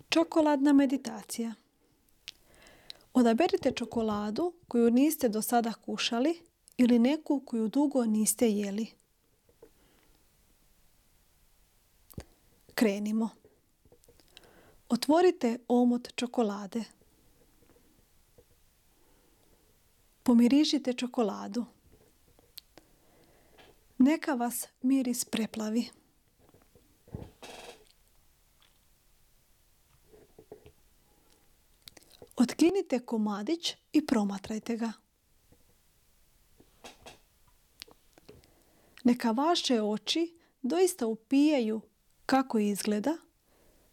Čokoladna meditacija. Odaberite čokoladu koju niste do sada kušali ili neku koju dugo niste jeli. Krenimo. Otvorite omot čokolade. Pomirišite čokoladu. Neka vas miris preplavi. Otkinite komadić i promatrajte ga. Neka vaše oči doista upijaju kako izgleda,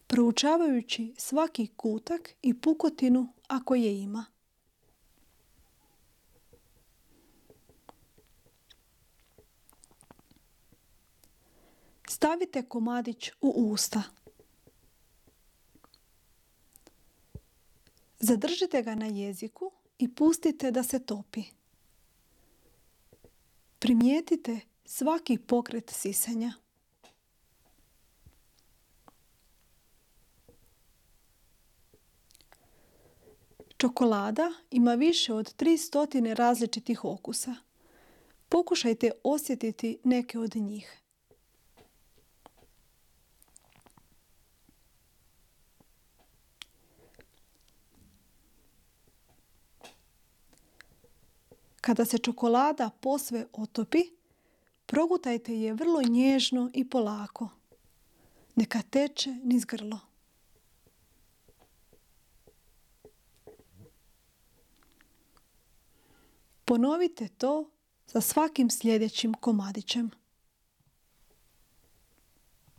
proučavajući svaki kutak i pukotinu ako je ima. Stavite komadić u usta. Zadržite ga na jeziku i pustite da se topi. Primijetite svaki pokret sisanja. Čokolada ima više od 300 različitih okusa. Pokušajte osjetiti neke od njih. Kada se čokolada posve otopi, progutajte je vrlo nježno i polako. Neka teče niz grlo. Ponovite to sa svakim sljedećim komadićem.